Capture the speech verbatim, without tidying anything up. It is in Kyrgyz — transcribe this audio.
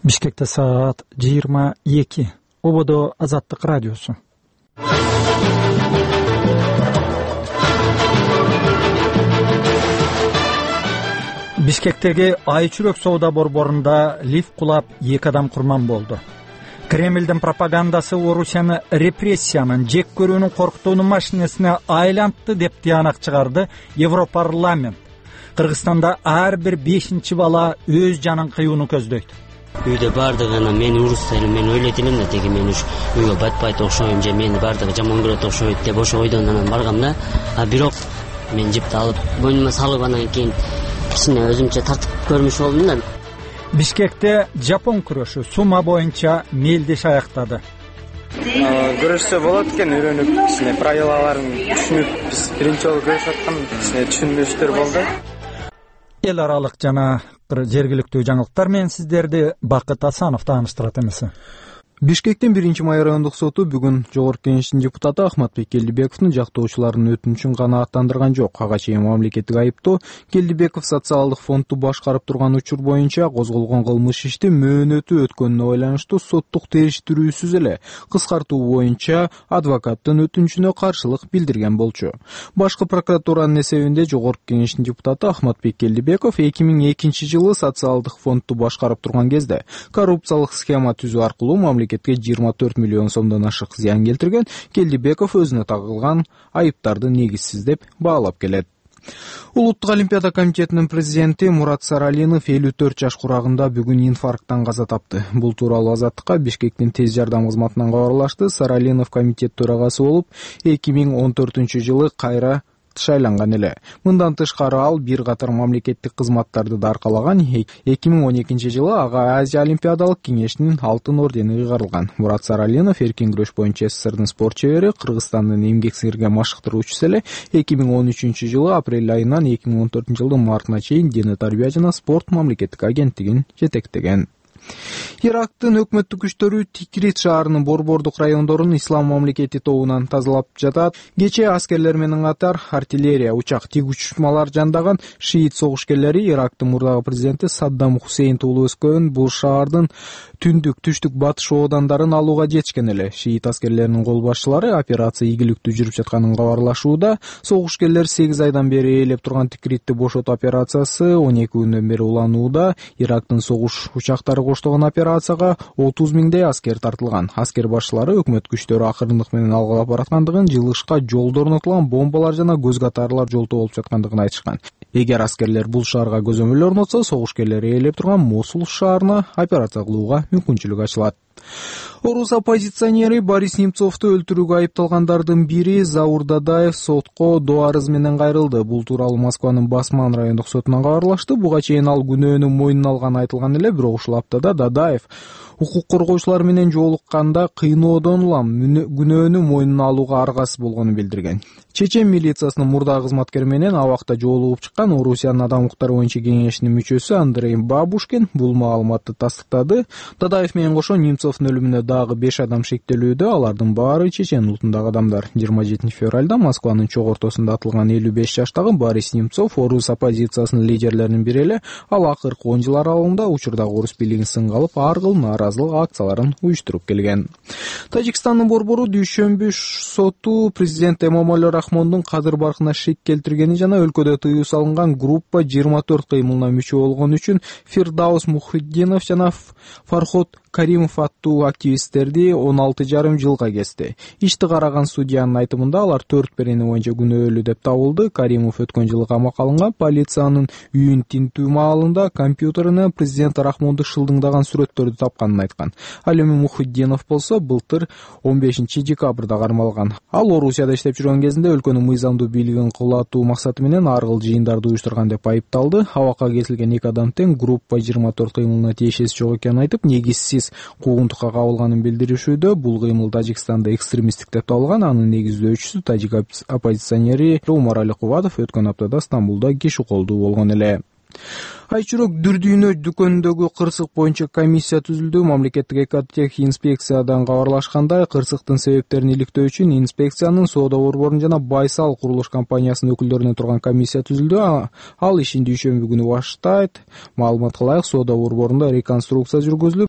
Бишкекте саат жыйырма эки. Ободо Азаттык радиосу. Бишкектеги Айчүрөк соода борборунда лифт кулап эки адам курман болду. Кремлдин пропагандасы Орусияны репрессиянын, жек көрүүнүн, коркутуунун машинесине айлантты деп тыянак чыгарды Европарламент. Кыргызстанда ар бир бешинчи бала өз жанын кыюуну көздөйт. Үйдө бардыгына мени урушса эле мен ойлойт элем да теги мен уш үйгө батпайт окшойм же мени бардыгы жаман көрөт окшойт деп ошо ойдон анан баргам да. А бирок мен жипти алып мойнума салып анан кийин кичине өзүмчө тартып көрмөш болдум да. Бишкекте жапон күрөшү сума боюнча мелдеш аяктады. Көрүшсө болот экен, үйрөнүп, кичине правилаларын түшүнүп, биз биринчи жолу көрүшүп аткан, кичине түшүнбөштөр болду. Эл аралык жана жергиликтүү жаңылыктар менен сиздерди Бакыт Асанов тааныштырат эмес. Бишкектин биринчи май райондук соту бүгүн Жогорку Кеңештин депутаты Ахматбек Келдибековдун жактоочуларынын өтүнүчүн канааттандырган жок. Ага чейин мамлекеттик айыптоо Келдибеков социалдык фондду башкарып турган учур боюнча козголгон кылмыш ишти мөөнөтү өткөнүнө байланыштуу соттук териштирүүсүз эле кыскартуу боюнча адвокаттын өтүнүчүнө каршылык билдирген болчу. Башкы прокуратуранын эсебинде Жогорку Кеңештин депутаты Ахматбек Келдибеков эки миң экинчи жылы социалдык фондду башкарып турган кезде коррупциялык схема түзүү аркылуу мамлекет жыйырма төрт миллион сомдон ашык зыян келтирген. Келдибеков өзүнө тагылган айыптарды негизсиз деп баалап келет. Улуттук олимпиада комитетинин президенти Мурат Саралинов элүү төрт жаш курагында бүгүн инфаркттан каза тапты. Бул тууралуу Азаттыкка Бишкектин тез жардам кызматынан кабарлашты. Саралинов комитет төрагасы болуп эки миң он төртүнчү жылы кайра шайланган эле. Мындан тышкары ал бир катар мамлекеттик кызматтарды да аркалаган. эки миң он экинчи жылы ага Азия олимпиадалык кеңешинин алтын ордени кыйгарылган. Мурат Саралинов эркин күрөш боюнча СССРдын спорт чебери, Кыргызстандын эмгек сиңирген машыктыруучусу эле. эки миң он үчүнчү жылы апрель айынан эки миң он төртүнчү жылдын мартына чейин дене тарбия жана спорт мамлекеттик агенттигин жетектеген. Ирактын өкмөттүк күчтөрү Тикрит шаарынын борбордук райондорун ислам мамлекети тобунан тазалап жатат. Кечээ аскерлер менен катар артиллерия, учак, тик учурмалар жандаган шиит согушкерлери Ирактын мурдагы президенти Саддам Хусейн туулуп өскөн бул шаардын түндүк, түштүк, батыш оодандарын алууга жетишкен эле. Шиит аскерлеринин кол башчылары операция ийгиликтүү жүрүп жатканын кабарлашууда. Согушкерлер сегиз айдан бери ээлеп турган Тикритти бошотуу операциясы он эки күндөн бери уланууда. Ирактын согуш учактары коштогон операцияга отуз миңдей аскер тартылган. Аскер башчылары өкмөт күчтөрү акырындык менен алгылап бараткандыгын, жылышка жолдо орнотулган бомбалар жана көз катарлар жолтоо болуп жаткандыгын айтышкан. Эгер аскерлер бул шаарга көзөмөл орнотсо, согушкерлер ээлеп турган Мосул шаарына операция кылууга мүмкүнчүлүк ачылат. Орус оппозиционери Борис Немцовду өлтүрүүгө айыпталгандардын бири Заур Дадаев сотко доо арыз менен кайрылды. Бул тууралуу Москванын Басман райондук сотунан кабарлашты. Буга чейин ал күнөөнү мойнуна алганы айтылган эле, бирок ушул аптада Дадаев укук коргоочулар менен жолукканда кыйноодон улам күнөөнү мойнуна алууга аргасыз болгонун билдирген. Чечен милициясынын мурдагы кызматкери менен абакта жолугуп чыккан Орусиянын Адам укуктары боюнча кеңешинин мүчөсү Андрей Бабушкин бул маалыматты тастыктады. Дадаев менен кошо Немцовдун өлүмүнө дагы беш адам шектелүүдө. Алардын баары чечен улутундагы адамдар. жыйырма жетинчи февралда Москванын чок ортосунда атылган элүү беш жаштагы Борис Немцов орус оппозициясынын лидерлеринин бири эле. Ал акыркы он жыл аралыгында учурдагы орус бийлигин сынга алып, ар кыл нааразылык акцияларын уюштуруп келген. Тажикстандын борбору дүйшөмбү соту президент Эмомали Рахмондун кадыр баркына шек келтиргени жана өлкөдө тыюу салынган группа жыйырма төрт кыймылына мүчө болгон үчүн Фирдаус Мухиддинов жана Фархот Каримов аттуу активисттерди он алты жарым жылга кести. Ишти караган судьянын айтымында алар төрт берени боюнча күнөөлүү деп табылды. Каримов өткөн жылы камакка алынган. Полициянын үйүн тинтүү маалында компьютерине президент Рахмонду шылдыңдаган сүрөттөрдү тапканын айткан. Ал эми Мухиддинов болсо былтыр он бешинчи декабрда кармалган. Ал Орусияда иштеп жүргөн кезинде өлкөнүн мыйзамдуу бийлигин кулатуу максаты менен ар кыл жыйындарды уюштурган деп айыпталды. Абакка кетилген эки адам тең группа жыйырма төрт кыймылына тиешеси жок экенин айтып, негизсиз куугунтукка кабылганын билдиришүүдө. Бул кыймыл Тажикстанда экстремисттик деп табылган. Анын негиздөөчүсү тажик оппозиционери Умарали Кубатов өткөн аптада Стамбулда киши колдуу болгон эле. Айчүрөк Дүрдүйнө дүкөнүндөгү кырсык боюнча комиссия түзүлдү. Мамлекеттик экотех инспекциядан кабарлашкандай, кырсыктын себептерин иликтөө үчүн инспекциянын соода борборунун жана Байсал курулуш компаниясынын өкүлдөрүнөн турган комиссия түзүлдү. Ал ишин дүйшөмбү күнү баштайт. Маалымат кылайык, соода борборунда реконструкция жүргүзүлүп,